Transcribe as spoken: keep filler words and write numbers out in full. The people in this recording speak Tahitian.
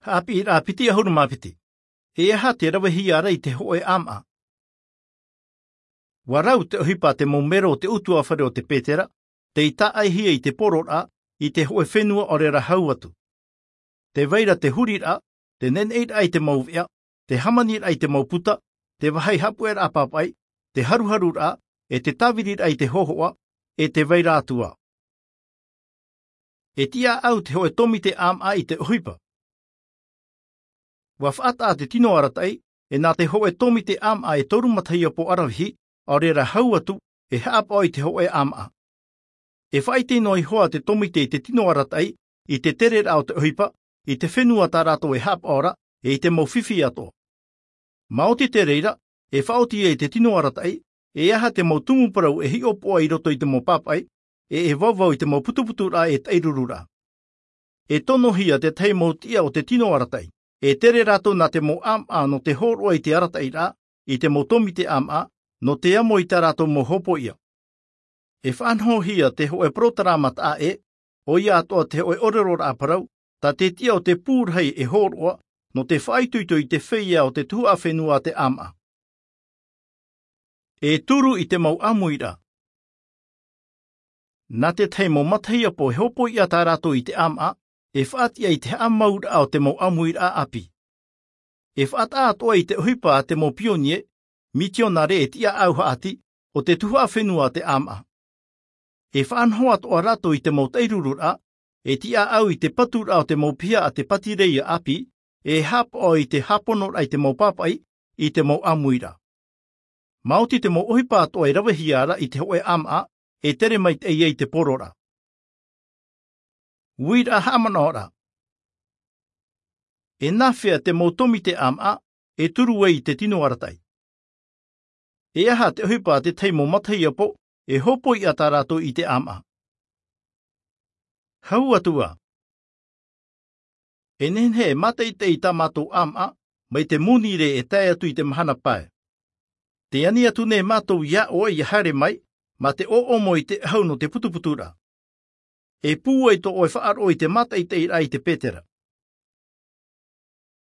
Haʻapiʻiraʻa piti ʻahuru mā piti. E aha te ravehia ra i te hōʻē ʻāmaʻa? Ua rau te ʻohipa a te mau mero o te ʻutuāfare o te Petera, tei tāʻaihia i te pororaʻa, i te hōʻē fenua ʻaore ra hau atu. Tē vai ra te huriraʻa, te neneʻiraʻa i te mau veʻa, te hāmaniraʻa i te mau puta, te vāhi haʻapuʻeraʻa papaʻi, te haruharuraʻa, e te tāviriraʻa i te hōhoʻa, e tē vai ra atu ā. E tiʻaʻau te hōʻē tōmite ʻāmaʻa i te ʻohipa. Ua faʻataʻa te tino arataʻi, e nā te hōʻē tōmite ʻāmaʻa e toru matahiapo ʻaravihi, ʻaore ra hau atu, e haʻapaʻo i te hōʻē ʻāmaʻa. E faʻaʻite noa iho ā te tōmite i te tino arataʻi, i te tereraʻa o te ʻohipa, i te fenua tā rātou e haʻapaʻo ra, e i te mau fifi atoʻa. Maoti te reira, e faʻaoti ia i te tino arataʻi, e aha te mau tumu parau e hiʻopoʻa i roto i te mau papaʻi, e e vauvau i te mau putuputuraʻa e taʻirururaʻa. E tonohia te tahi mau tiʻa o te tino arataʻi, e tere rātou nā te mau ʻāmaʻa nō te hōroʻa i te arataʻiraʻa, i te mau tōmite ʻāmaʻa, nō te amo i tā rātou mau hōpoiʻa. E faʻanahohia te hōʻē porotarama taʻa ʻē, ʻoia atoʻa te hōʻē ʻōreroraʻa parau, tā te tiʻa o te pū rahi e hōroʻa, nō te faʻaitoito i te feiā o te tuhaʻa fenua a te ʻāmaʻa. E turu i te mau ʻāmuiraʻa. Nā te tahi mau matahiapo e hōpoiʻa tā rātou i te ʻāmaʻa, e faʻatiʻa i te haʻamauraʻa o te mau ʻāmuiraʻa ʻāpī. E faʻataʻa atoʻa i te ʻohipa a te mau pionie, mitionare e tiʻaʻau haʻati, o te tuhaʻa fenua a te ʻāmaʻa. E faʻanaho atoʻa rātou i te mau taʻirururaʻa, e tiʻaʻau i te paturaʻa o te mau piha a te pātireia ʻāpī, e haʻapaʻo i te hāponoraʻa i te mau papaʻi, i te mau ʻāmuiraʻa. Maoti te mau ʻohipa atoʻa e ravehia ra i te hōʻē ʻāmaʻa, e tere maitaʻi ai te pororaʻa. Uiraʻa haʻamanaʻoraʻa. E nāfea te mau tōmite ʻāmaʻa, e turu ai i te tino arataʻi? E aha te ʻohipa a te tahi mau matahiapo, e hōpoiʻa tā rātou i te ʻāmaʻa? Hau atu ā. E nehenehe e mātaʻitaʻi tā mātou ʻāmaʻa, mai te monirē e tae atu i te mahana pae. Tē ani atu nei mātou iā ʻoe ʻia haere mai, mā te ʻōʻomo i te ʻahu nō te putuputuraʻa. E pūai tō ʻoe faʻaroʻo i te mātaʻitaʻiraʻa i te Petera.